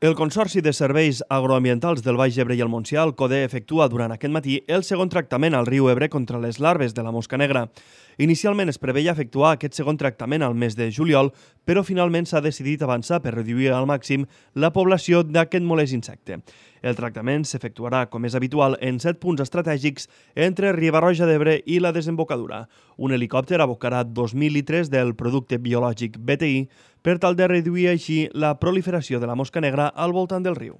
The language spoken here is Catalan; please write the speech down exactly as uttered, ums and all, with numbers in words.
El Consorci de Serveis Agroambientals del Baix Ebre i el Montsià, el CODE, efectua durant aquest matí el segon tractament al riu Ebre contra les larves de la mosca negra. Inicialment es preveia efectuar aquest segon tractament al mes de juliol, però finalment s'ha decidit avançar per reduir al màxim la població d'aquest molest insecte. El tractament s'efectuarà, com és habitual, en set punts estratègics entre Riba-roja d'Ebre i la desembocadura. Un helicòpter abocarà dos mil litres del producte biològic B T I per tal de reduir així la proliferació de la mosca negra al voltant del riu.